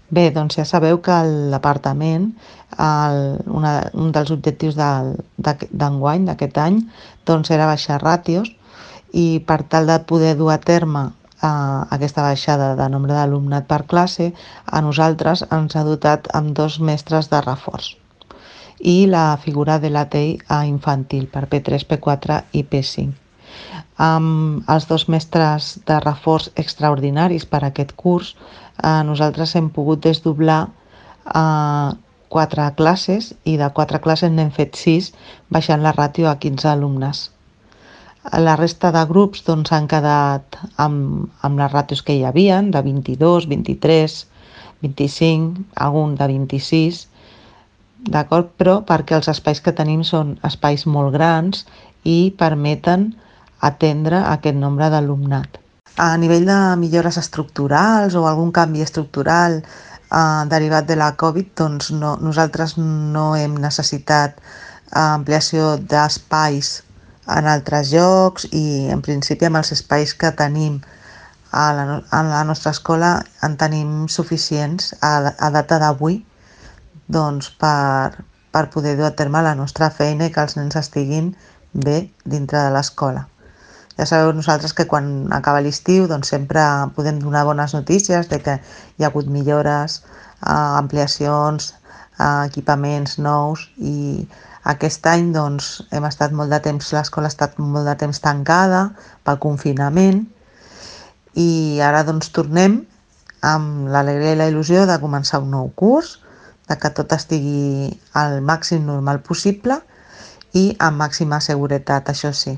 Bé, doncs ja sabeu que el departament, un dels objectius d'enguany, d'aquest any, doncs era baixar ràtios i per tal de poder dur a terme aquesta baixada de nombre d'alumnat per classe, a nosaltres ens ha dotat amb 2 mestres de reforç i la figura de l'ATEI a infantil per P3, P4 i P5. Amb els 2 mestres de reforç extraordinaris per a aquest curs, nosaltres hem pogut desdoblar 4 classes i de 4 classes n'hem fet 6, baixant la ràtio a 15 alumnes. La resta de grups doncs, han quedat amb les ràtios que hi havia, de 22, 23, 25, algun de 26, d'acord? Però perquè els espais que tenim són espais molt grans i permeten atendre aquest nombre d'alumnat. A nivell de millores estructurals o algun canvi estructural derivat de la Covid, doncs nosaltres no hem necessitat ampliació d'espais en altres llocs i en principi amb els espais que tenim a la nostra escola en tenim suficients a data d'avui doncs per poder dur a terme la nostra feina i que els nens estiguin bé dintre de l'escola. Ja sabeu nosaltres que quan acaba l'estiu doncs sempre podem donar bones notícies de que hi ha hagut millores, ampliacions, equipaments nous i aquest any doncs hem estat molt de temps, l'escola ha estat molt de temps tancada pel confinament i ara doncs tornem amb l'alegria i la il·lusió de començar un nou curs, de que tot estigui al màxim normal possible i amb màxima seguretat, això sí.